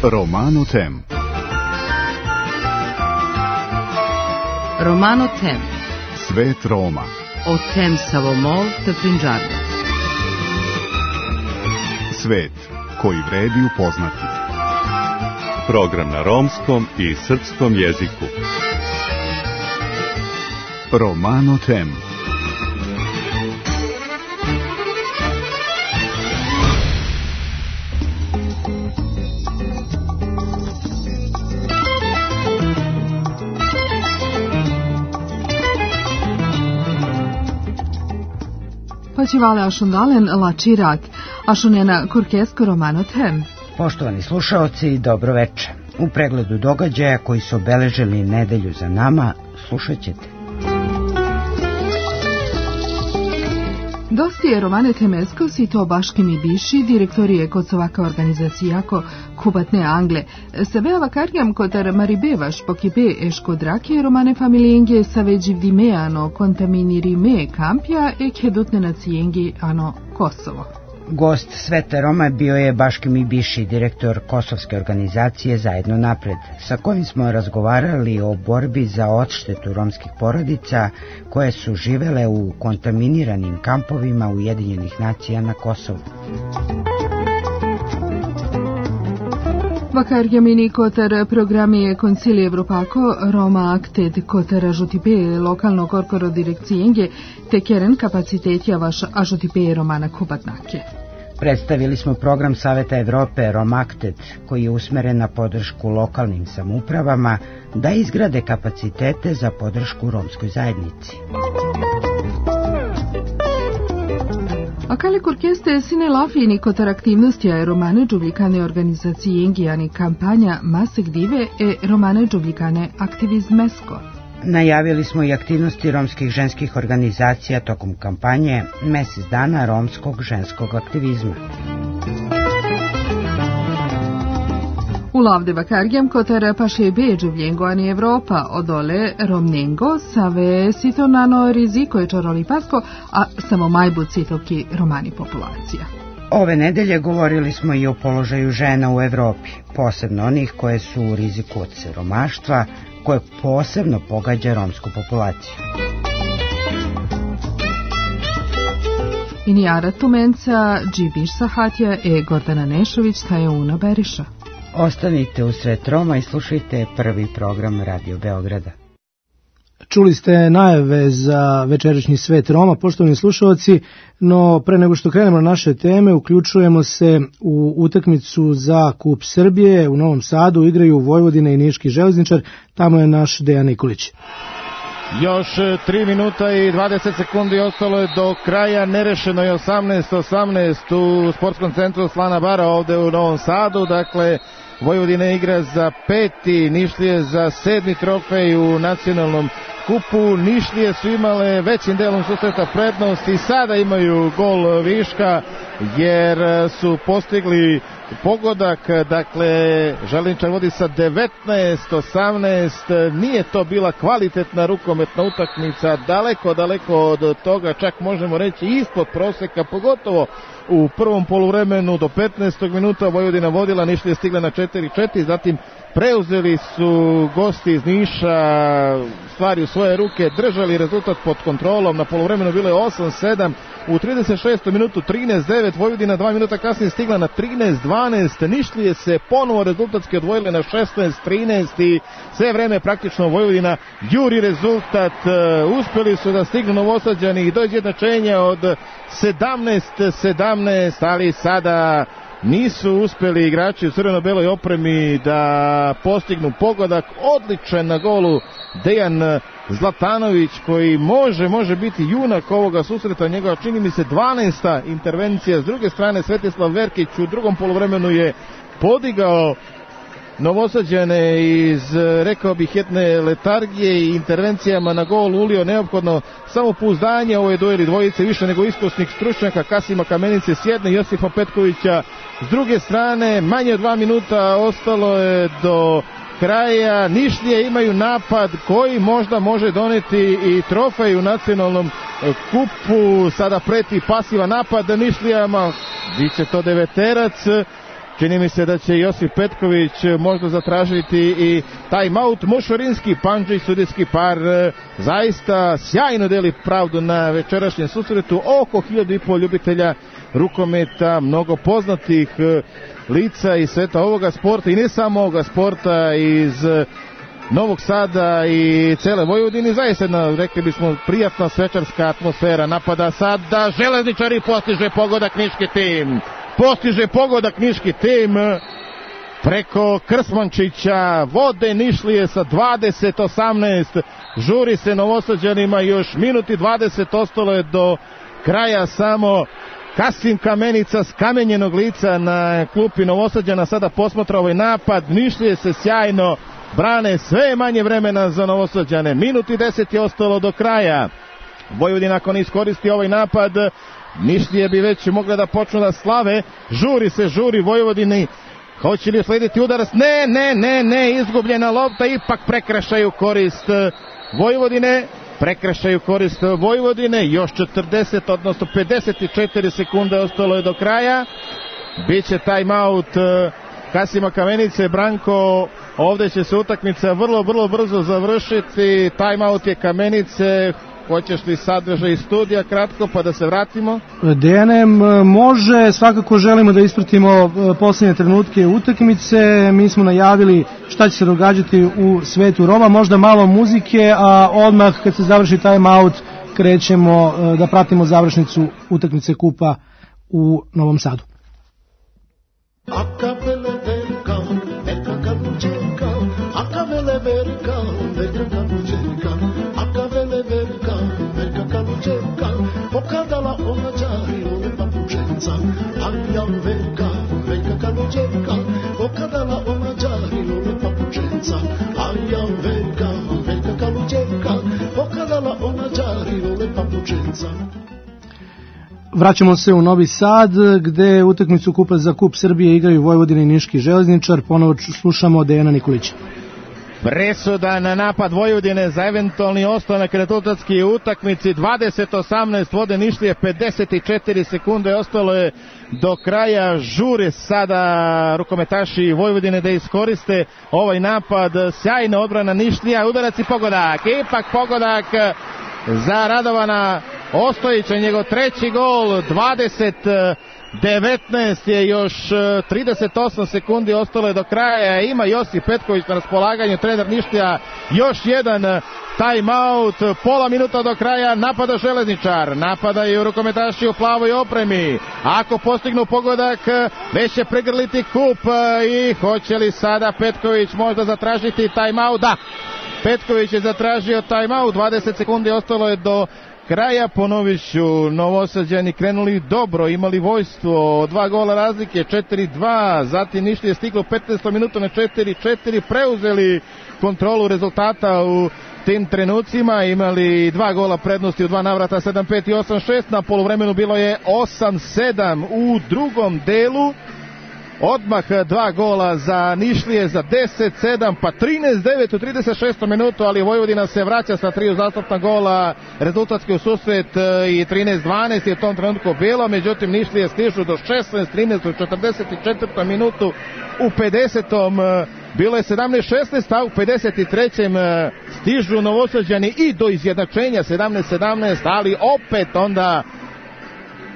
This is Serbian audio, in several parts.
Romano Tem. Romano Tem. Svet Roma. O tem Savomol te Prinđarda. Svet koji vredi upoznati. Program na romskom i srpskom jeziku. Romano Tem. Počivale ašundalen la čirak, ašunjena kurkesko Romano Tem. Poštovani slušaoci, dobro večer. U pregledu događaja koji su obeležili nedelju za nama, slušat ćete. Dosti je Romane Temeskos i to baškim i biši, direktorije kod sovaka organizacijako Kubatne Angle. Sebe avakarjam kotar Maribevaš pokibe eško drake Romane familijenge saveđiv dimeano kontaminiri me kampja e kedutne nacijengi ano Kosovo. Gost Svete Roma bio je Baškim i Biši, direktor kosovske organizacije Zajedno napred, sa kojim smo razgovarali o borbi za odštetu romskih porodica koje su živele u kontaminiranim kampovima Ujedinjenih nacija na Kosovu. Vakarjamini kotar programi Koncilije Evropako Roma Akted kotar ažutipe lokalno korporo direkcijenge te keren kapacitetja vaš ažutipe Romana Kubatnake. Predstavili smo program Saveta Evrope Roma Akted koji je usmeren na podršku lokalnim samoupravama da izgrade kapacitete za podršku romskoj zajednici. A kale kurkeste sine lafini kotar aktivnosti Romane džubljikane organizacijengijani kampanja Masek dive e Romane džubljikane aktivizmesko. Najavili smo i aktivnosti romskih ženskih organizacija tokom kampanje Mesec dana romskog ženskog aktivizma. U lavde vakargjam kotar paše beđuvljengo ani Evropa odole romnengo save sitonano riziko je čoroli pasko, a samo majbut sitoki romani populacija. Ove nedelje govorili smo i o položaju žena u Evropi, posebno onih koje su u riziku od siromaštva, koje posebno pogađa romsku populaciju. Inijara Tumenca, Džibiš Sahatja e Gordana Nešović taje Una Beriša. Ostanite u Svet Roma i slušajte prvi program Radio Beograda. Čuli ste najave za večerašnji Svet Roma, poštovani slušalci, no pre nego što krenemo na naše teme, uključujemo se u utakmicu za Kup Srbije. U Novom Sadu igraju Vojvodina i Niški železničar, tamo je naš Dejan Nikolić. Još 3 minuta i 20 sekundi ostalo je do kraja, nerešeno je 18-18 u sportskom centru Slana Bara ovde u Novom Sadu, dakle Vojvodina igra za 5. Nišlije za 7. trofej u nacionalnom kupu. Nišlije su imale većim delom susreta prednost i sada imaju gol viška jer su postigli pogodak, dakle Železničar vodi sa 19-18, nije to bila kvalitetna rukometna utakmica, daleko od toga, čak možemo reći ispod proseka, pogotovo u prvom poluvremenu do 15. minuta Vojvodina vodila, Nišlije stigle na 4-4, zatim preuzeli su gosti iz Niša stvari u svoje ruke, držali rezultat pod kontrolom, na poluvremenu bilo je 8-7, u 36. minutu 13-9, Vojvodina 2 minuta kasnije stigla na 13-12, Nišlije se ponovo rezultatski odvojile na 16-13 i sve vreme praktično Vojvodina juri rezultat, uspjeli su da stignu Novosađani i do izjednačenja od 17-17, ali sada nisu uspjeli igrači u crveno-beloj opremi da postignu pogodak. Odličan na golu Dejan Zlatanović koji može biti junak ovoga susreta, njegova čini mi se 12. intervencija. S druge strane Svetislav Verkić u drugom poluvremenu je podigao Novosađane iz, rekao bih, jedne letargije i intervencijama na gol ulio neophodno samopouzdanje. Ovo je dueli dvojice više nego iskusnih stručnjaka, Kasima Kamenice s jedne, Josipa Petkovića s druge strane. Manje od 2 minuta ostalo je do kraja. Nišlije imaju napad koji možda može doneti i trofej u nacionalnom kupu. Sada preti pasivan napad Nišlijama, biće to deveterac. Čini mi se da će Josip Petković možda zatražiti i timeout. Mošorinski Pandžić, sudijski par, zaista sjajno deli pravdu na večerašnjem susretu. Oko 1500 ljubitelja rukometa, mnogo poznatih lica iz sveta ovoga sporta i ne samo ovoga sporta, iz Novog Sada i cele Vojvodine. Zaista jedna, rekli bismo, prijatna svečarska atmosfera. Napada sada Železničari, postiže pogodak niški tim. Postiže pogodak niški tim preko Krsmančića, vode Nišlije sa 20-18, žuri se Novosađanima, još minut i 20 ostalo je do kraja samo. Kasim Kamenica s kamenjenog lica na klupi Novosađana sada posmatra ovaj napad. Nišlije se sjajno brane, sve je manje vremena za Novosađane, minut i 10 je ostalo do kraja. Vojvodina ako ne iskoristi ovaj napad, Nišlije bi već mogle da počnu da slave. Žuri Vojvodini. Hoće li uslediti udarac? Ne, izgubljena lopta, ipak prekršaju korist Vojvodine. Još 40, odnosno 54 sekunde ostalo je do kraja. Biće timeout Kasima Kamenice. Branko, ovde će se utakmica vrlo brzo završiti. Timeout je Kamenice. Hoćeš li sadržaj studija kratko pa da se vratimo? DNM može, svakako želimo da ispratimo posljednje trenutke utakmice. Mi smo najavili šta će se događati u svetu Roma, možda malo muzike, a odmah kad se završi timeout krećemo da pratimo završnicu utakmice kupa u Novom Sadu. Pokazala ona đari one papučenca, Anjan velika kaluđenka. Pokazala ona đari one papučenca, Anjan velika kaluđenka. Pokazala ona đari one papučenca. Vraćamo se u Novi Sad, gde utakmicu kupa za Kup Srbije igraju Vojvodina i Niški Železničar. Ponovo slušamo Dejana Nikolića. Presuda na napad Vojvodine za eventualni ostanak rezultatski utakmici. 20-18 vode Nišlije, 54 sekunde ostalo je do kraja. Žure sada rukometaši Vojvodine da iskoriste ovaj napad. Sjajna odbrana Nišlija, udarac i pogodak. Ipak pogodak za Radovana Ostojića, njegov treći gol. 19 je, još 38 sekundi ostalo je do kraja. Ima Josip Petković na raspolaganju, trener Nišlija. Još jedan timeout, pola minuta do kraja. Napada Železničar, napadaju rukometaši u plavoj opremi. Ako postignu pogodak, već će pregrliti kup. I hoće li sada Petković možda zatražiti timeout? Da, Petković je zatražio timeout. 20 sekundi ostalo je do kraja. Ponovit ću, Novosađani krenuli dobro, imali vojstvo, 2 gola razlike, 4-2, zatim Nišlije stiglo 15 minuta na 4-4, preuzeli kontrolu rezultata u tim trenucima, imali 2 gola prednosti u 2 navrata, 7-5 i 8-6, na poluvremenu bilo je 8-7 u drugom delu. Odmah 2 gola za Nišlije za 10-7, pa 13-9 u 36. minutu, ali Vojvodina se vraća sa 3 uzastopna gola, rezultatski u susret i 13-12 je u tom trenutku bilo, međutim Nišlije stižu do 16-13 u 44. minutu, u 50. bilo je 17-16, a u 53. stižu Novosađani i do izjednačenja 17-17, ali opet onda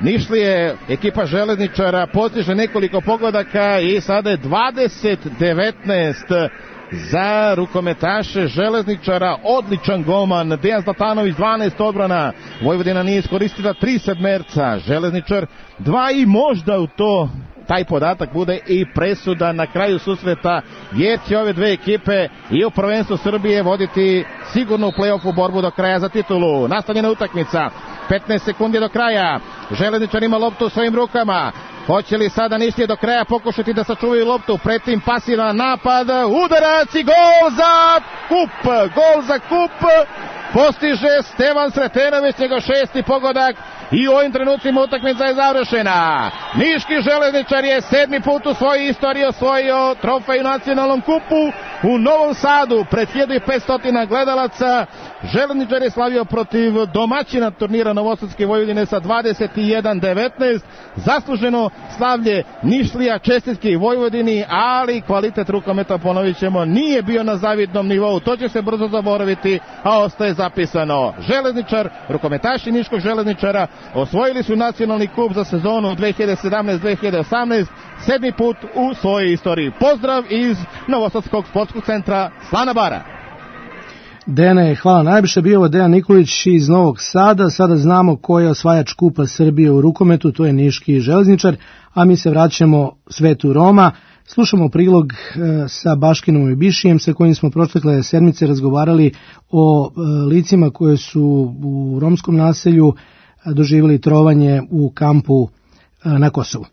Nišlije, ekipa Železničara postiže nekoliko pogodaka i sada je 20-19 za rukometaše Železničara. Odličan golman Dejan Zlatanović, 12 odbrana. Vojvodina nije iskoristila 3 sedmerca, Železničar 2 i možda u to taj podatak bude i presuda na kraju susreta, jer će ove dve ekipe i u prvenstvu Srbije voditi sigurno u play-offu borbu do kraja za titulu. Nastavljena utakmica, 15 sekundi do kraja, Železničar ima loptu u svojim rukama. Hoće li sada Nišlije do kraja pokušati da sačuvaju loptu, pretim pasivan napad, udarac i gol za Kup, postiže Stevan Sretenović, njegov 6. pogodak i u ovim trenucima utakmica je završena. Niški Železničar je 7. put u svojoj istoriji osvojio trofej u nacionalnom kupu, u Novom Sadu pred 1500 gledalaca. Željezničar je slavio protiv domaćina turnira Novosadske Vojvodine sa 21-19. Zasluženo slavlje Nišlija, čestitke i Vojvodini, ali kvalitet rukometa, ponovit ćemo, nije bio na zavidnom nivou. To će se brzo zaboraviti, a ostaje zapisano. Železničar, rukometaši Niškog Železničara osvojili su nacionalni kup za sezonu 2017-2018, 7. put u svojoj istoriji. Pozdrav iz Novosadskog sportskog centra Slana Bara. Dene, hvala najviše. Bio ovo Dejan Nikolić iz Novog Sada. Sada znamo ko je osvajač kupa Srbije u rukometu, to je Niški Železničar, a mi se vraćamo svetu Roma. Slušamo prilog sa Baškinom i Bišijem, sa kojim smo protekle sedmice razgovarali o licima koje su u romskom naselju doživjeli trovanje u kampu na Kosovu.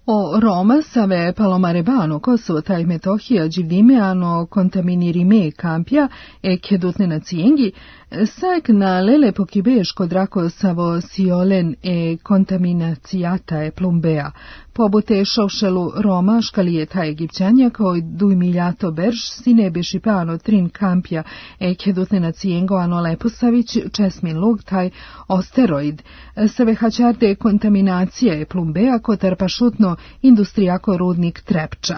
O Roma save palomarebano Kosovo taj Metohija Đivdimeano kontaminirime kampja e kedutne nacijengi, sak na lele pokibeško drako savo siolen e kontaminacijata e plumbea. Pobute šovšelu Roma škalijeta Egipćanja koji duj miljato berž sine bešipano trin kampja e kedutne nacijengo ano Leposavić česmin lug taj osteroid. Save hačarde kontaminacija e plumbea kotar pašutno industrijako rudnik Trepča.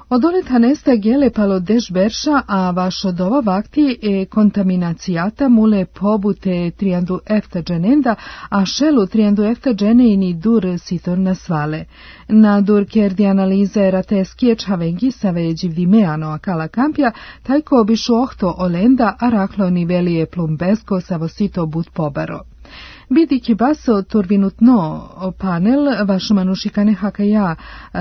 Od oleta nesta gele palo deš berša, a vaš od ova vakti e kontaminacijata mule pobute triandu efta dženenda, a šelu triandu efta dženeini dur sitor nasvale. Na dur kerdi analize rateskije čavengi save Đivdimeano akala kampja, tajko obišu ohto olenda, a raklo nivelije plumbesko savo sito but pobaro. Bidiki baso turvinutno panel vaš manušikane hakaja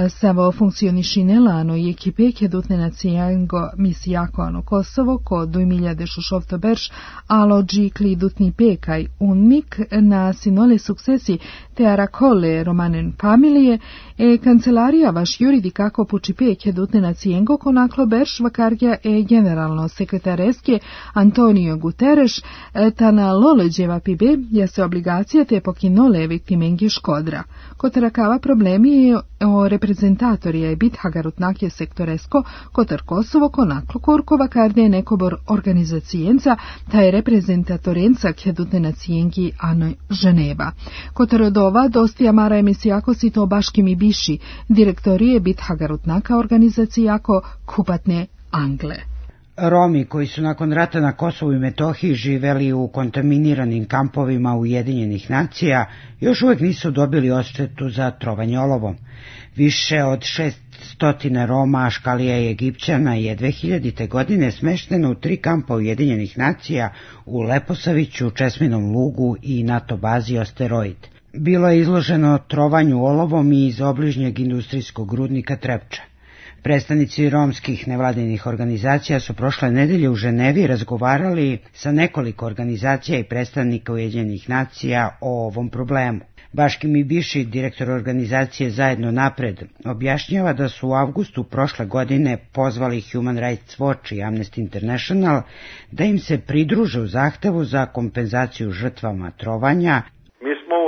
savo funkcionišinela ano i ekipe kedutne nacijango misijako ano Kosovo ko 2016 berš alo džikli dutni pekaj unnik na sinole suksesi te arakole romanen familije e kancelarija vaš juridi kako pučipe kedutne nacijengo konaklo berš vakargja e generalno sekretareske Antonio Guterres tana loleđeva pibe ja se obligacija te pokinole viktimengi škodra. Kotarakava problemi je o reprezentatorija je bit hagarutnakje sektoresko kotar Kosovo konaklo kurkova karde nekobor organizacijenca ta je reprezentatorenca kedutne nacijengi ano Ženeva. Kotar od ova dostija mara emisijako si to Baškim i Biši, direktorije bit hagarutnaka organizacijako kupatne Angle. Romi koji su nakon rata na Kosovu i Metohiji živeli u kontaminiranim kampovima Ujedinjenih nacija još uvijek nisu dobili odštetu za trovanje olovom. Više od 600 Roma, Škalija i Egipćana je 2000. godine smešteno u 3 kampa Ujedinjenih nacija u Leposaviću, Česminom lugu i NATO bazi Asteroid. Bilo je izloženo trovanju olovom i iz obližnjeg industrijskog rudnika Trepča. Predstavnici romskih nevladinih organizacija su prošle nedelje u Ženevi razgovarali sa nekoliko organizacija i predstavnika Ujedinjenih nacija o ovom problemu. Baškim i Biši, direktor organizacije Zajedno napred, objašnjava da su u avgustu prošle godine pozvali Human Rights Watch i Amnesty International da im se pridruže u zahtevu za kompenzaciju žrtvama trovanja.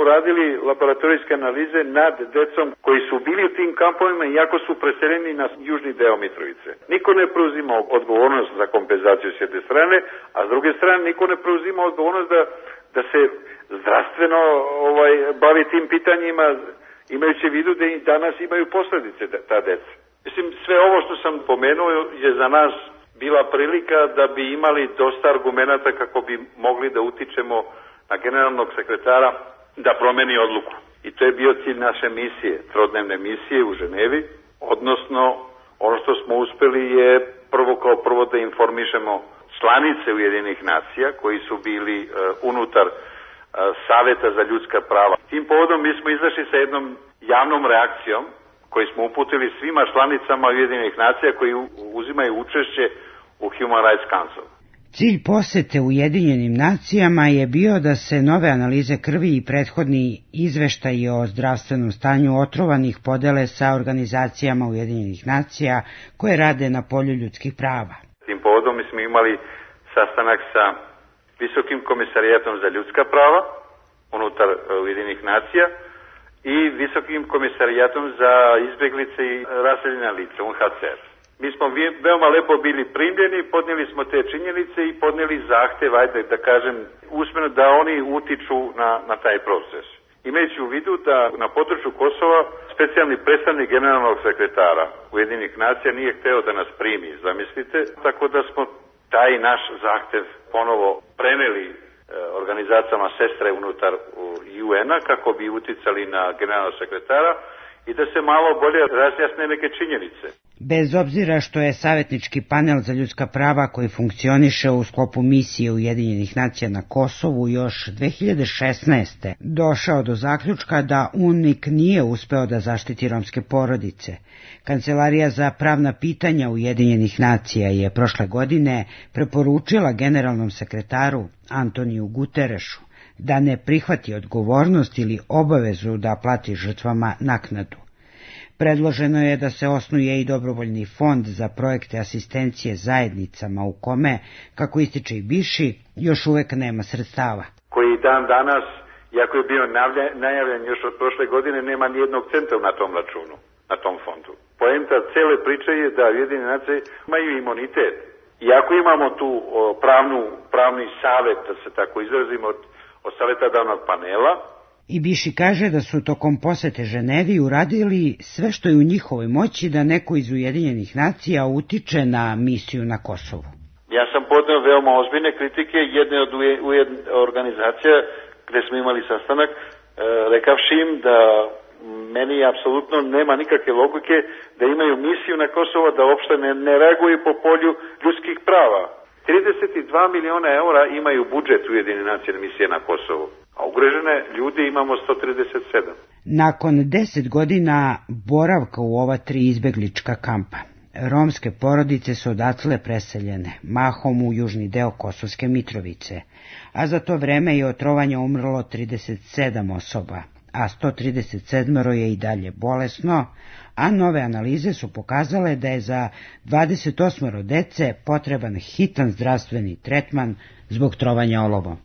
Uradili laboratorijske analize nad decom koji su bili u tim kampovima iako su preseljeni na južni deo Mitrovice. Niko ne preuzima odgovornost za kompenzaciju s jedne strane, a s druge strane niko ne preuzima odgovornost da se zdravstveno bavi tim pitanjima, imajući u vidu da i danas imaju posljedice ta deca. Mislim, sve ovo što sam pomenuo je za nas bila prilika da bi imali dosta argumenata kako bi mogli da utičemo na generalnog sekretara da promeni odluku. I to je bio cilj naše misije, trodnevne misije u Ženevi, odnosno ono što smo uspeli je prvo da informišemo članice Ujedinjenih nacija koji su bili unutar Saveta za ljudska prava. Tim povodom mi smo izašli sa jednom javnom reakcijom koju smo uputili svima članicama Ujedinjenih nacija koji uzimaju učešće u Human Rights Council. Cilj posete Ujedinjenim nacijama je bio da se nove analize krvi i prethodni izveštaji o zdravstvenom stanju otrovanih podele sa organizacijama Ujedinjenih nacija koje rade na polju ljudskih prava. Tim povodom mi smo imali sastanak sa Visokim komisarijatom za ljudska prava unutar Ujedinjenih nacija i Visokim komisarijatom za izbjeglice i raseljena lica, UNHCR. Mi smo veoma lepo bili primljeni, podnijeli smo te činjenice i podnijeli zahtev, ajde da kažem, usmeno da oni utiču na taj proces. Imajući u vidu da na području Kosova specijalni predstavnik generalnog sekretara Ujedinjenih nacija nije hteo da nas primi, zamislite, tako da smo taj naš zahtev ponovo preneli organizacijama sestre unutar UN-a kako bi uticali na generalnog sekretara i da se malo bolje razjasne neke činjenice. Bez obzira što je savjetnički panel za ljudska prava koji funkcioniše u sklopu misije Ujedinjenih nacija na Kosovu još 2016. došao do zaključka da UNMIK nije uspeo da zaštiti romske porodice. Kancelarija za pravna pitanja Ujedinjenih nacija je prošle godine preporučila generalnom sekretaru Antoniju Guterešu da ne prihvati odgovornost ili obavezu da plati žrtvama naknadu. Predloženo je da se osnuje i dobrovoljni fond za projekte asistencije zajednicama u kome, kako ističe i Biši, još uvek nema sredstava. Koji dan danas, iako je bio najavljen još od prošle godine, nema ni jednog centa na tom računu, na tom fondu. Poenta cele priče je da Ujedinjene nacije imaju imunitet. Iako imamo tu pravni savet, da se tako izrazimo, od savjetodavnog panela. I Biši kaže da su tokom posete Ženevi uradili sve što je u njihovoj moći da neko iz Ujedinjenih nacija utiče na misiju na Kosovu. Ja sam podneo veoma ozbiljne kritike jedne od organizacija gde smo imali sastanak, rekavši im da meni apsolutno nema nikakve logike da imaju misiju na Kosovo, da uopšte ne reaguju po polju ljudskih prava. 32 miliona eura imaju budžet Ujedinjenih nacija misije na Kosovu, a ugrožene ljudi imamo 137. Nakon 10 godina boravka u ova 3 izbeglička kampa, romske porodice su odatle preseljene, mahom u južni deo Kosovske Mitrovice, a za to vreme je od trovanja umrlo 37 osoba, a 137 je i dalje bolesno, a nove analize su pokazale da je za 28 dece potreban hitan zdravstveni tretman zbog trovanja olovom.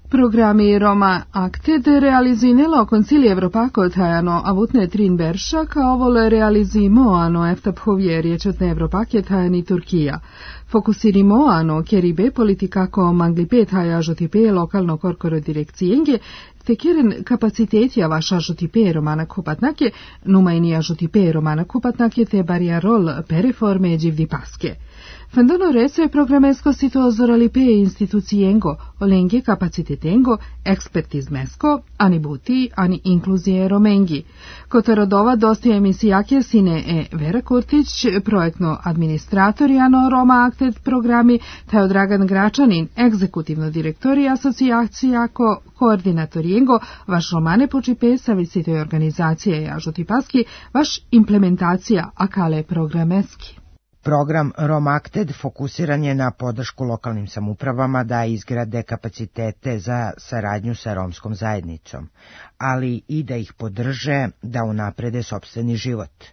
Programi Roma Acted realizinelo Concilio Europako tajano avutne trin verša kao vol realizimoano eftaphuvjerječetne Evropake tajani Turkija. Fokusirimoano keribe politikako manglipe tajažotipe lokalno korkoro direkcijenge, te keren kapaciteti avašažotipe romana kupatnake, numajnija žotipe romana kupatnake te bariarol pereforme dživdipaske. Fendono rece programesko situozoralipe institucijengo, olenge kapacitetengo, ekspertizmesko, ani buti, ani inkluzije romengi. Kotorodova dosti emisijake sine Vera Kurtić, projektno administratorijano Roma Acted programi, taj Dragan Gračanin, egzekutivno direktori asocijacijako, koordinatorijengo, vaš romane počipe savisitoj organizacije jažotipaski, vaš implementacija akale programeski. Program Roma Acted fokusiran je na podršku lokalnim samoupravama da izgrade kapacitete za saradnju sa romskom zajednicom, ali i da ih podrže da unaprede sopstveni život.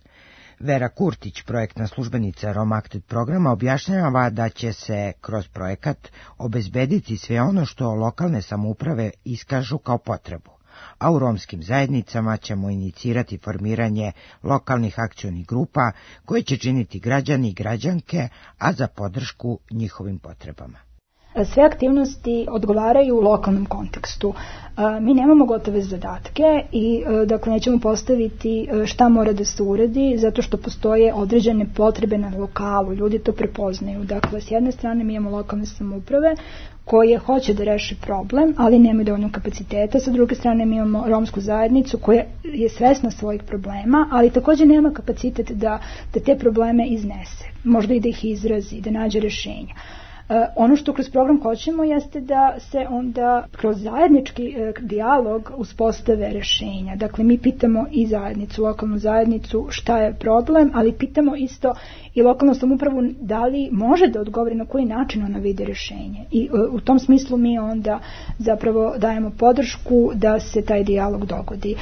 Vera Kurtić, projektna službenica Roma Acted programa, objašnjava da će se kroz projekat obezbediti sve ono što lokalne samouprave iskažu kao potrebu, a u romskim zajednicama ćemo inicirati formiranje lokalnih akcionih grupa koje će činiti građani i građanke, a za podršku njihovim potrebama. Sve aktivnosti odgovaraju u lokalnom kontekstu. Mi nemamo gotove zadatke i dakle nećemo postaviti šta mora da se uradi zato što postoje određene potrebe na lokalu, ljudi to prepoznaju. Dakle, s jedne strane mi imamo lokalne samouprave koje hoće da reši problem, ali nemaju dovoljno kapaciteta. Sa druge strane mi imamo romsku zajednicu koja je svesna svojih problema, ali također nema kapacitet da te probleme iznese, možda i da ih izrazi, da nađe rješenja. Ono što kroz program hoćemo jeste da se onda kroz zajednički dijalog uspostave rješenja. Dakle, mi pitamo i zajednicu, lokalnu zajednicu šta je problem, ali pitamo isto i lokalnu samoupravu da li može da odgovori na koji način ona vidi rješenje. I u tom smislu mi onda zapravo dajemo podršku da se taj dijalog dogodi.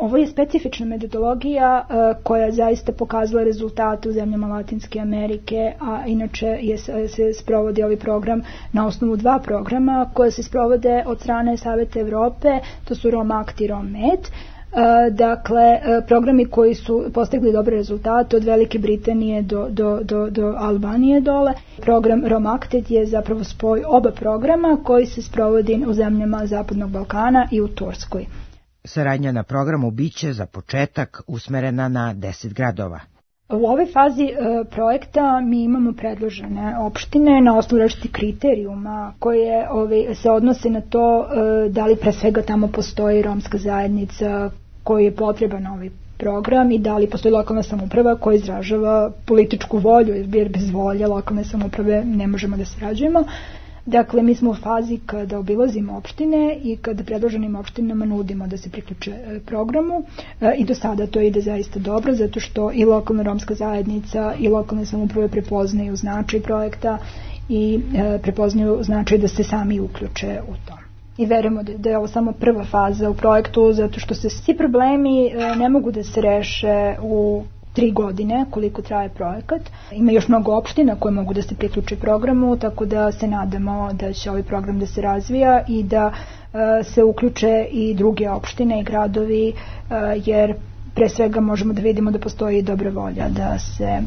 Ovo je specifična metodologija koja je zaista pokazala rezultate u zemljama Latinske Amerike, a inače se sprovodi ovaj program na osnovu 2 programa koje se sprovode od strane Saveta Evrope, to su ROM-ACT i ROM-MED. Dakle, programi koji su postigli dobre rezultate od Velike Britanije do Albanije dole. Program ROM-ACT je zapravo spoj oba programa koji se sprovodi u zemljama Zapadnog Balkana i u Turskoj. Saradnja na programu biće za početak usmerena na 10 gradova. U ovoj fazi projekta mi imamo predložene opštine na osnovu različitih kriterijuma koje se odnose na to da li pre svega tamo postoji romska zajednica koji je potreban ovaj program i da li postoji lokalna samouprava koja izražava političku volju, jer bez volje lokalne samouprave ne možemo da sarađujemo. Dakle, mi smo u fazi kada obilazimo opštine i kada predloženim opštinama nudimo da se priključe programu i do sada to ide zaista dobro, zato što i lokalna romska zajednica i lokalne samouprave prepoznaju značaj projekta i prepoznaju značaj da se sami uključe u to. I verujemo da je ovo samo prva faza u projektu, zato što se svi problemi ne mogu da se reše u 3 godine koliko traje projekat. Ima još mnogo opština koje mogu da se priključe programu, tako da se nadamo da će ovaj program da se razvija i da se uključe i druge opštine i gradovi, jer pre svega možemo da vidimo da postoji dobra volja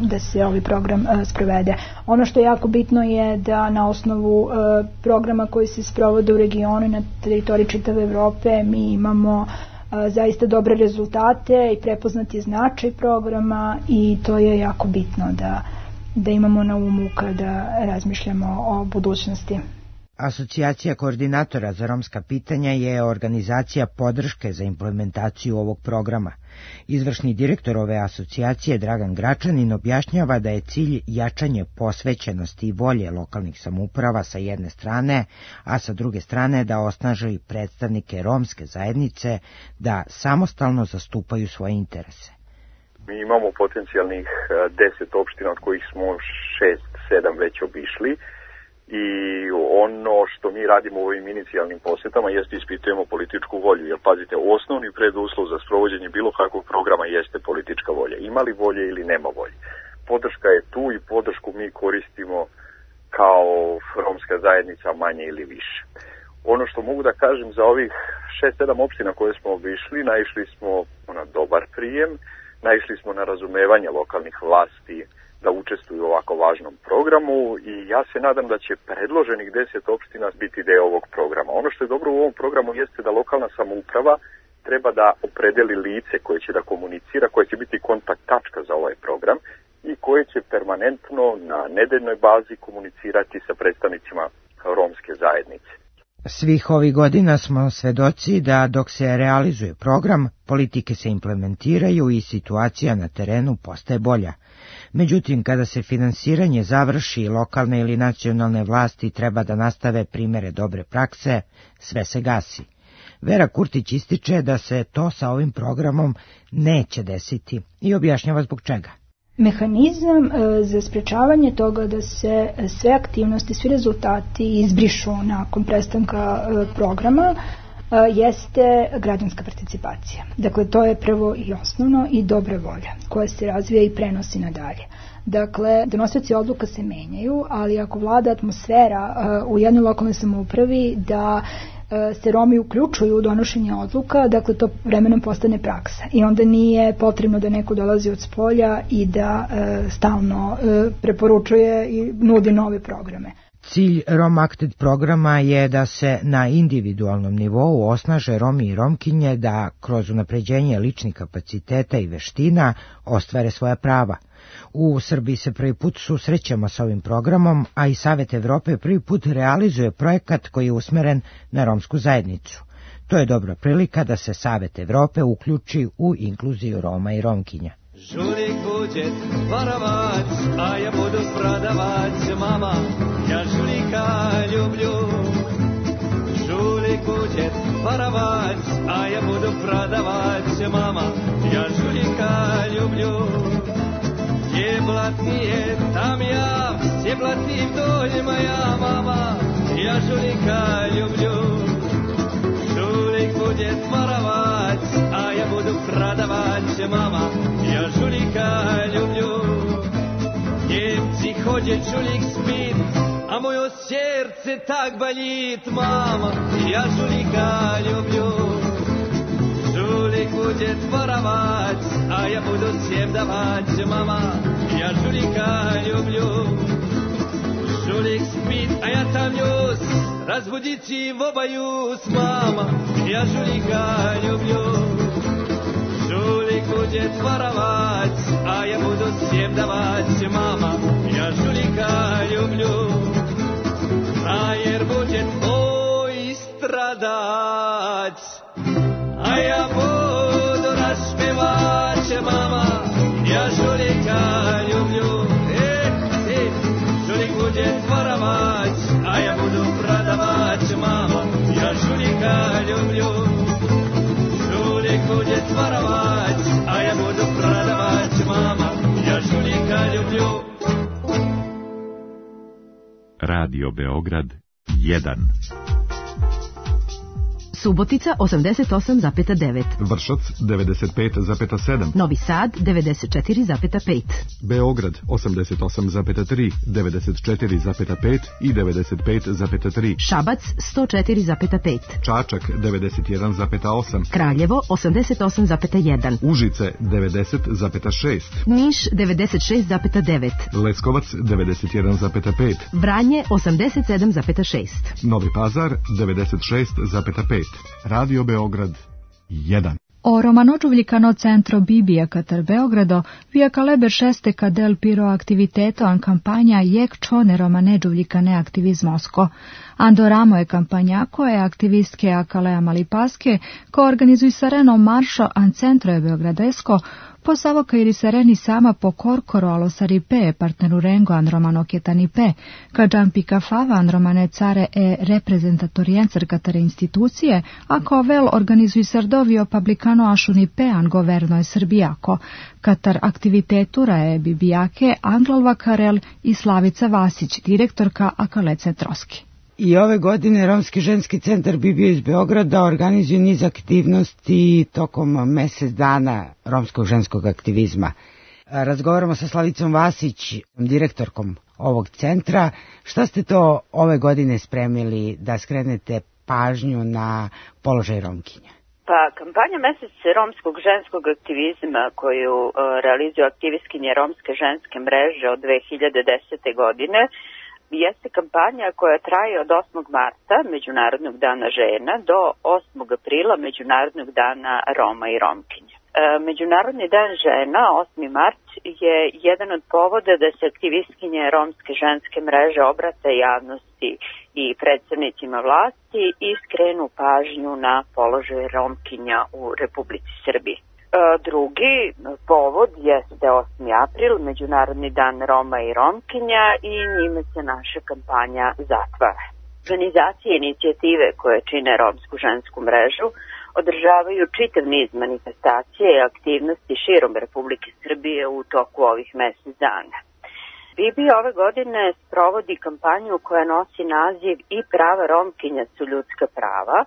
da se ovaj program sprovede. Ono što je jako bitno je da na osnovu programa koji se sprovode u regionu i na teritoriji čitave Evrope mi imamo zaista dobre rezultate i prepoznati značaj programa i to je jako bitno da imamo na umu kada razmišljamo o budućnosti. Asocijacija koordinatora za romska pitanja je organizacija podrške za implementaciju ovog programa. Izvršni direktor ove asocijacije Dragan Gračanin objašnjava da je cilj jačanje posvećenosti i volje lokalnih samouprava sa jedne strane, a sa druge strane da osnaže i predstavnike romske zajednice da samostalno zastupaju svoje interese. Mi imamo potencijalnih 10 opština od kojih smo 6-7 već obišli. I ono što mi radimo u ovim inicijalnim posjetama jeste ispitujemo političku volju, jer pazite, osnovni preduslov za sprovođenje bilo kakvog programa jeste politička volja. Ima li volje ili nema volje? Podrška je tu i podršku mi koristimo kao romska zajednica manje ili više. Ono što mogu da kažem za ovih 6-7 opština koje smo obišli, naišli smo na dobar prijem, naišli smo na razumevanje lokalnih vlasti da učestvuju u ovako važnom programu i ja se nadam da će predloženih 10 opština biti deo ovog programa. Ono što je dobro u ovom programu jeste da lokalna samouprava treba da opredeli lice koje će da komunicira, koje će biti kontakt tačka za ovaj program i koje će permanentno na nedeljnoj bazi komunicirati sa predstavnicima romske zajednice. Svih ovih godina smo svedoci da dok se realizuje program, politike se implementiraju i situacija na terenu postaje bolja. Međutim, kada se finansiranje završi, lokalne ili nacionalne vlasti treba da nastave primere dobre prakse, sve se gasi. Vera Kurtić ističe da se to sa ovim programom neće desiti i objašnjava zbog čega. Mehanizam za sprečavanje toga da se sve aktivnosti, svi rezultati izbrišu nakon prestanka programa jeste građanska participacija. Dakle, to je prvo i osnovno i dobra volja koja se razvija i prenosi nadalje. Dakle, donosioci odluka se menjaju, ali ako vlada atmosfera u jednoj lokalnoj samoupravi da se Romi uključuju u donošenje odluka, dakle to vremenom postane praksa i onda nije potrebno da neko dolazi od spolja i da stalno preporučuje i nudi nove programe. Cilj ROM-ACT programa je da se na individualnom nivou osnaže Romi i Romkinje da kroz unapređenje ličnih kapaciteta i veština ostvare svoja prava. U Srbiji se prvi put susrećemo s ovim programom, a i Savet Evrope prvi put realizuje projekat koji je usmeren na romsku zajednicu. To je dobra prilika da se Savet Evrope uključi u inkluziju Roma i Romkinja. Žulik bude varavac, a ja budu prodavac, mama, ja žulika ljublju. Žulik bude varavac, a ja budu prodavac, mama, ja žulika ljublju. Gdje blatnije, tam ja, gdje blatnim dođe moja mama, ja žulika ljublju. Žulik bude varavac, a ja ja budu prodavać, mama, ja žulika ljublju. Njemci hođe, čulik spit, a moje srce tak balit, mama, ja žulika ljublju. Žulik bude tvoravac, a ja budu sjevdavac, mama, ja žulika ljublju. Žulik spit, a ja tam njus, razbudići v obajus, mama, ja žulika ljublju. Žulik bude tvoravac, a ja budu sjevdavac, mama, ja žulika ljublju. Frajer bude tvoj stradac, a ja budu rašpevač, mama, ja žulika ljublju. Žulik bude tvoravac, a ja budu prodavač, mama, ja žulika ljublju. Žulik bude tvoravac, a ja budu prodavač, mama, ja žulika ljublju. Radio Beograd 1. Subotica 88,9. Vršac 95,7. Novi Sad 94,5. Beograd 88,3, 94,5 i 95,3. Šabac 104,5. Čačak 91,8. Kraljevo 88,1. Užice 90,6. Niš 96,9. Leskovac 91,5. Vranje 87,6. Novi Pazar 96,5. Radio Beograd 1. O romanogiuvljicano centro Bibija Katar Beogrado, via caleber šeste cadel piro activiteto an campagna jek čone romanegiuvljicane aktivizmosko. Andoramo je kampanja koje aktivistke Akalea Malipaske ko organizuj sareno maršo an centro je Beogradesko po savoka iri sareni sama po korkoro alo saripe partneru rengo an romano ketanipe, ka džampika fava an romane care e reprezentatoriencer katare institucije, a ko vel organizuj sardovio publicano ašunipe an governo je Srbijako, katar aktivitetura je Bibijake Anglova Karel i Slavica Vasić, direktorka Akale Centroski. I ove godine Romski ženski centar Bibija iz Beograda organizuje niz aktivnosti tokom mesec dana romskog ženskog aktivizma. Razgovaramo sa Slavicom Vasić, direktorkom ovog centra. Šta ste to ove godine spremili da skrenete pažnju na položaj Romkinja? Pa, kampanja Mesec romskog ženskog aktivizma koju realizuju aktivistkinje Romske ženske mreže od 2010. godine jeste kampanja koja traje od 8. marta, Međunarodnog dana žena, do 8. aprila, Međunarodnog dana Roma i Romkinja. Međunarodni dan žena, 8. mart, je jedan od povoda da se aktivistkinje Romske ženske mreže obrate javnosti i predstavnicima vlasti i skrenu pažnju na položaj Romkinja u Republici Srbiji. Drugi povod jeste 8. april, Međunarodni dan Roma i Romkinja, i njime se naša kampanja zatvara. Organizacije i inicijative koje čine Romsku žensku mrežu održavaju čitav niz manifestacije i aktivnosti širom Republike Srbije u toku ovih mesec dana. Bibi ove godine sprovodi kampanju koja nosi naziv I prava Romkinja su ljudska prava,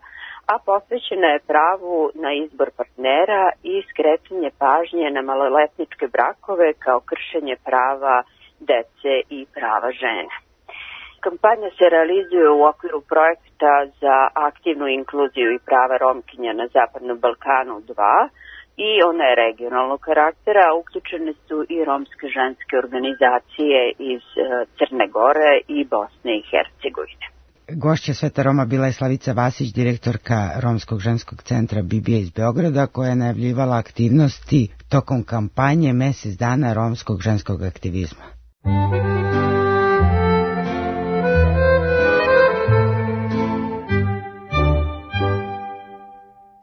a posvećena je pravu na izbor partnera i skretanje pažnje na maloletničke brakove kao kršenje prava dece i prava žena. Kampanja se realizuje u okviru projekta za aktivnu inkluziju i prava Romkinja na Zapadnom Balkanu 2 i ona je regionalnog karaktera, a uključene su i romske ženske organizacije iz Crne Gore i Bosne i Hercegovine. Gošća Sveta Roma bila je Slavica Vasić, direktorka Romskog ženskog centra Bibija iz Beograda, koja je najavljivala aktivnosti tokom kampanje Mesec dana romskog ženskog aktivizma.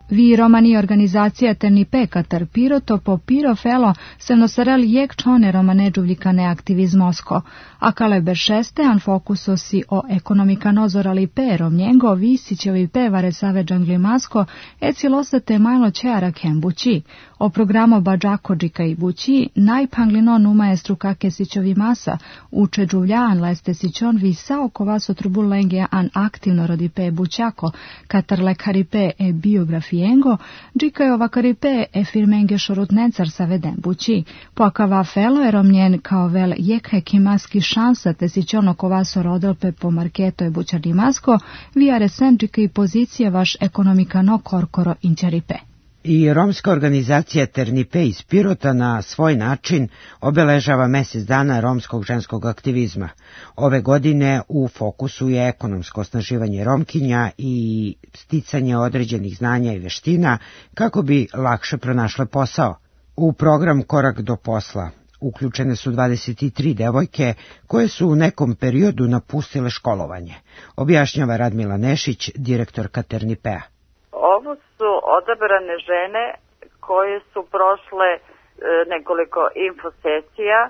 Vi romani organizacija Ternipe Katar Piroto po Piro Felo se nosarel jek čone romanegiuvljicane aktivizmosko, a kaleber šeste an fokusosi o ekonomika nozorali perom njengo visićevi pevare save džanglimasko e cilosate majlo čeara kembući. O programo Badžakodžika i Bući, najpanglino numa je struka kesićovi masa, uče džuvljaan leste sićon visa oko vas otrubulenge an aktivno rodipe bućako, katar lekaripe e biografijengo, džika je ovakaripe e firmenge šorutnecar sa veden bući, pokava felo je romnjen kao vel jekhe kimaski šansa te sićon oko vas orodilpe po marketo je bućarni masko, via resen džika i pozicija vaš ekonomikano korkoro inčaripe. I romska organizacija Ternipe iz Pirota na svoj način obeležava mjesec dana romskog ženskog aktivizma. Ove godine u fokusu je ekonomsko osnaživanje Romkinja i sticanje određenih znanja i veština kako bi lakše pronašle posao. U program Korak do posla uključene su 23 devojke koje su u nekom periodu napustile školovanje, objašnjava Radmila Nešić, direktorka Ternipea. Ovo su odabrane žene koje su prošle nekoliko infosesija,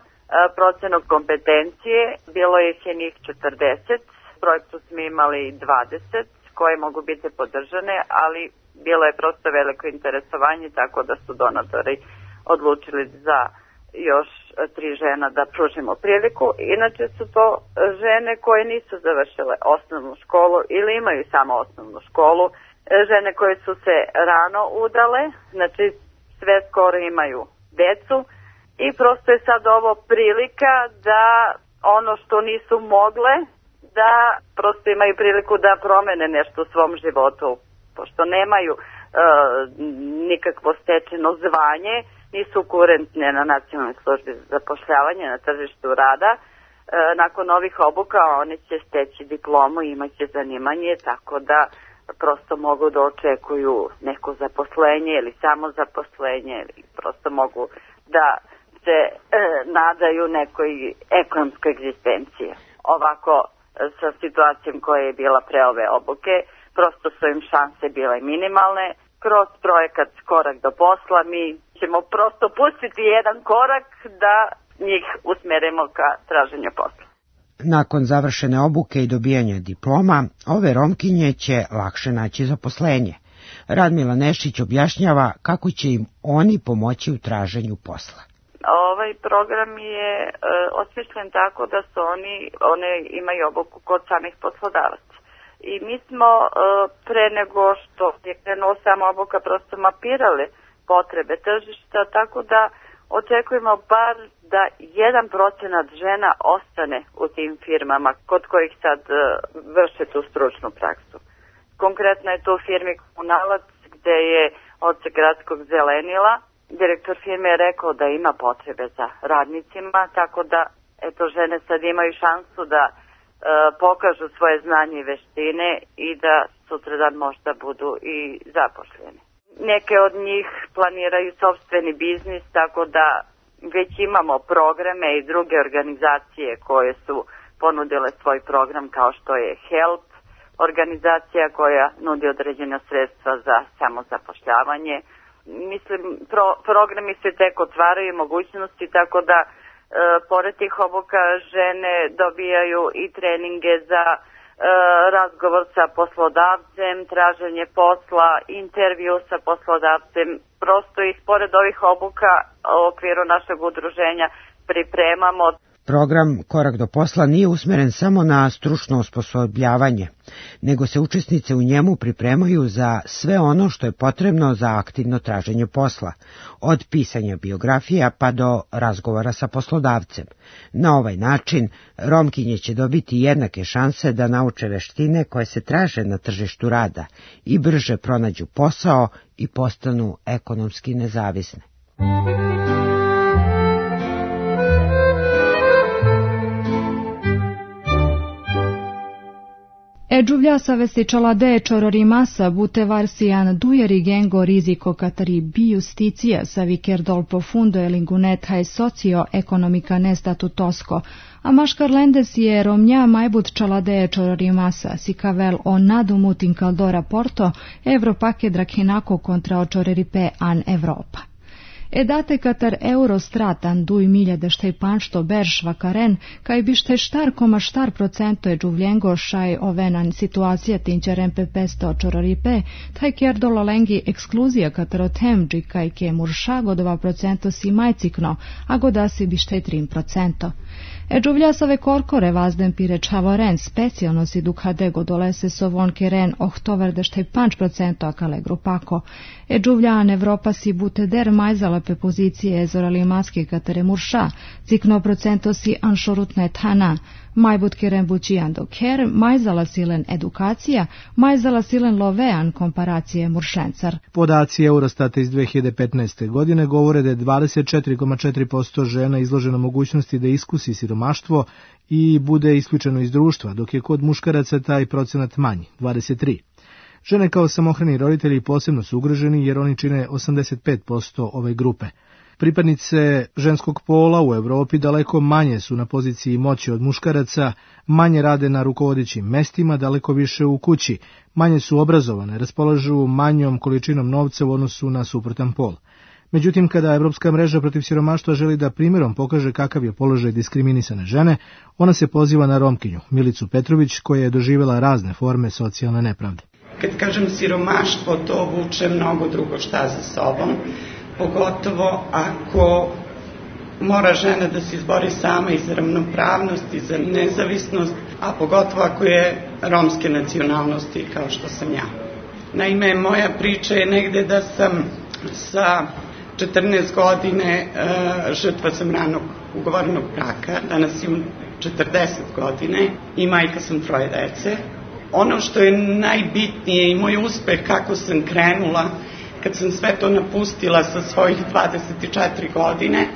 procenu kompetencije, bilo ih je njih 40, projektu smo imali 20 koje mogu biti podržane, ali bilo je prosto veliko interesovanje, tako da su donatori odlučili za još 3 žena da pružimo priliku. Inače su to žene koje nisu završile osnovnu školu ili imaju samo osnovnu školu, žene koje su se rano udale, znači sve skoro imaju decu i prosto je sad ovo prilika da ono što nisu mogle, da prosto imaju priliku da promene nešto u svom životu, pošto nemaju nikakvo stečeno zvanje, nisu kurentne na nacionalnoj službi za zapošljavanje na tržištu rada. Nakon ovih obuka oni će steći diplomu i imaće zanimanje, tako da prosto mogu da očekuju neko zaposlenje ili samo zaposlenje ili prosto mogu da se nadaju nekoj ekonomskoj egzistenciji. Ovako sa situacijom koja je bila pre ove obuke, prosto su im šanse bile minimalne. Kroz projekat Korak do posla mi ćemo prosto pustiti jedan korak da njih usmerimo ka traženju posla. Nakon završene obuke i dobijanja diploma, ove Romkinje će lakše naći zaposlenje. Radmila Nešić objašnjava kako će im oni pomoći u traženju posla. Ovaj program je osmišljen tako da su one imaju obuku kod samih poslodavaca. I mi smo pre nego što je krenuo sama obuka prosto mapirali potrebe tržišta, tako da očekujemo bar da 1% žena ostane u tim firmama kod kojih sad vrše tu stručnu praksu. Konkretno je to u firmi Komunalac gde je odsek gradskog zelenila. Direktor firme je rekao da ima potrebe za radnicima, tako da eto žene sad imaju šansu da pokažu svoje znanje i veštine i da sutradan možda budu i zaposleni. Neke od njih planiraju sopstveni biznis, tako da već imamo programe i druge organizacije koje su ponudile svoj program kao što je HELP, organizacija koja nudi određena sredstva za samozapošljavanje. Mislim, programi se tek otvaraju mogućnosti, tako da pored tih obuka žene dobijaju i treninge za razgovor sa poslodavcem, traženje posla, intervju sa poslodavcem. Prosto ih pored ovih obuka u okviru našeg udruženja pripremamo. Program Korak do posla nije usmeren samo na stručno osposobljavanje, nego se učesnice u njemu pripremaju za sve ono što je potrebno za aktivno traženje posla, od pisanja biografija pa do razgovora sa poslodavcem. Na ovaj način Romkinje će dobiti jednake šanse da nauče veštine koje se traže na tržištu rada i brže pronađu posao i postanu ekonomski nezavisne. Edžuvlja savestičala de čororimasa bute varsijan dujeri gengo riziko katari biusticija sa viker dol profundo e lingunet hai socio ekonomika ne statutosko, a maškar lendes je romnja majbut čalade čororimasa si kavel o nadumut inkaldora porto Evropake drakhinako kontra očoreripe an Evropa. Edate katar Eurostratan 2015 beršvakaren, kaj bište štar procento je džuvljengo šaj ovenan situacija tinčeren pepesto čororipe, taj kjerdolo lengi ekskluzija katar o temđi kaj ke murša go 2% si majcikno, a godasi bište 3%. Džuvljasove korkore vazden pire čavoren specijalno si dukhade godolese sovon keren ohtover dešte 5% akale grupako. Džuvljan Evropa si buteder majzala pe pozicije ezorali maski katere murša, cikno procento si anšorutne tana, majbut keren bučijan do ker, majzala silen edukacija, majzala silen lovean komparacije muršencar. Podaci Eurostata iz 2015. godine govore da je 24,4% žena izloženo mogućnosti da iskusi siromaštvo i bude isključeno iz društva, dok je kod muškaraca taj procenat manji, 23%. Žene kao samohrani roditelji posebno su ugroženi jer oni čine 85% ove grupe. Pripadnice ženskog pola u Evropi daleko manje su na poziciji moći od muškaraca, manje rade na rukovodećim mestima, daleko više u kući, manje su obrazovane, raspolažu manjom količinom novca u odnosu na suprotan pol. Međutim, kada Evropska mreža protiv siromaštva želi da primjerom pokaže kakav je položaj diskriminisane žene, ona se poziva na Romkinju, Milicu Petrović, koja je doživjela razne forme socijalne nepravde. Kad kažem siromaštvo, to vuče mnogo drugo šta za sobom, pogotovo ako mora žena da se izbori sama i za ravnopravnost i za nezavisnost, a pogotovo ako je romske nacionalnosti kao što sam ja. Naime, moja priča je negde da sam sa 14 godine žrtva sam ranog ugovorenog braka, danas imam 40 godine i majka sam 3 dece. Ono što je najbitnije i moj uspeh kako sam krenula, kad sam sve to napustila sa svojih 24 godine,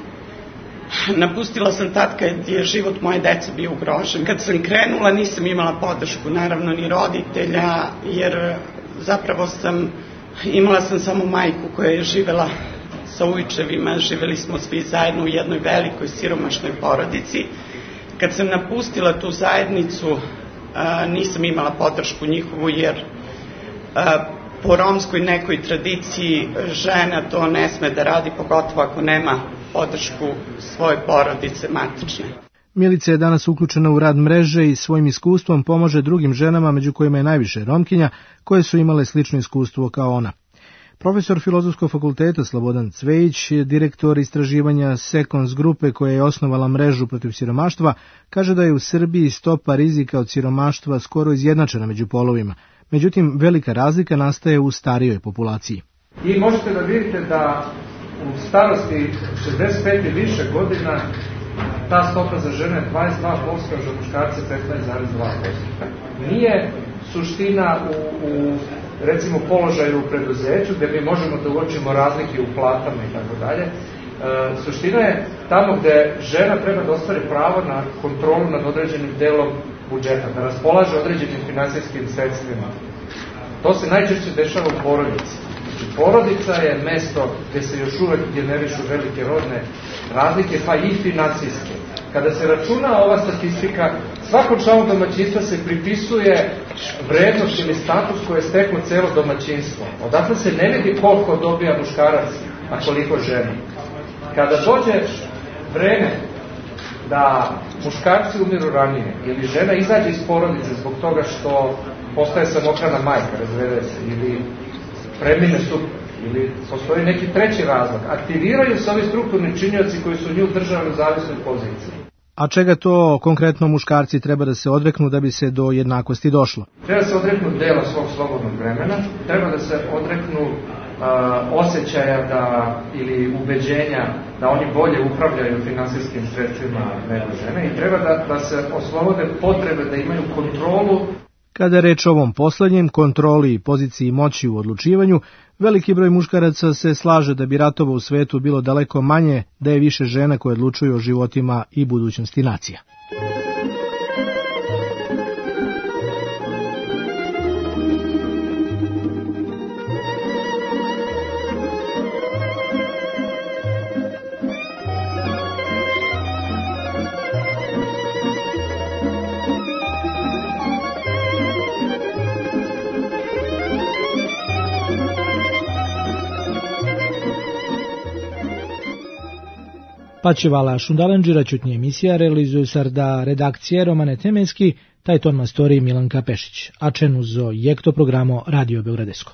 napustila sam tad kad je život moje dece bio ugrožen. Kad sam krenula nisam imala podršku, naravno ni roditelja, jer zapravo imala sam samo majku koja je živela sa ujčevima, živeli smo svi zajedno u jednoj velikoj siromašnoj porodici. Kad sam napustila tu zajednicu, nisam imala podršku njihovu, jer po romskoj nekoj tradiciji žena to ne sme da radi, pogotovo ako nema podršku svoje porodice matične. Milica je danas uključena u rad mreže i svojim iskustvom pomaže drugim ženama, među kojima je najviše Romkinja, koje su imale slično iskustvo kao ona. Profesor Filozofskog fakulteta Slobodan Cvejić, direktor istraživanja Sekons grupe koja je osnovala mrežu protiv siromaštva, kaže da je u Srbiji stopa rizika od siromaštva skoro izjednačena među polovima. Međutim, velika razlika nastaje u starijoj populaciji. I možete da vidite da u starosti 65 i više godina ta stopa za žene je 22%, a za muškarce 15,2%. Nije suština u recimo položaju u preduzeću, gde mi možemo da uočimo razlike u platama i tako dalje. Suština je tamo gde žena treba da ostvari pravo na kontrolu nad određenim delom budžeta, da raspolaže određenim finansijskim sredstvima. To se najčešće dešava u porodici. Znači, porodica je mesto gde se još uvek generišu velike rodne razlike, pa i finansijske. Kada se računa ova statistika, svakom članu domaćinstva se pripisuje vrednost ili status koje je steklo celo domaćinstvo. Odatle se ne vidi koliko dobija muškarac, a koliko žena. Kada dođe vreme da muškarci umiru ranije ili žena izađe iz porodice zbog toga što postaje samohrana majka, razvede se, ili premine suprug, ili postoji neki treći razlog, aktiviraju se ovi strukturni činioci koji su nju držali u zavisnoj poziciji. A čega to konkretno muškarci treba da se odreknu da bi se do jednakosti došlo? Treba se odreknu dela svog slobodnog vremena, treba da se odreknu osjećaja ili ubeđenja da oni bolje upravljaju finansijskim sredstvima nego žene i treba da se oslobode potrebe da imaju kontrolu. Kada je reč o ovom poslednjem, kontroli i poziciji moći u odlučivanju, veliki broj muškaraca se slaže da bi ratova u svetu bilo daleko manje, da je više žena koje odlučuju o životima i budućnosti nacija. Paćevala Šundalenđira čutnje emisija realizuju sarda redakcije Romane Temenski, taj ton mastori Milanka Pešić, a čenu zo jekto programo Radio Beogradesko.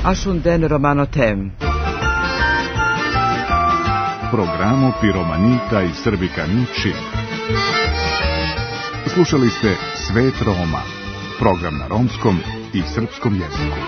Ashunden Romano Tem. Programo Piromanita i Srbika Ničin. Slušali ste Svet Roma, program na romskom i srpskom jeziku.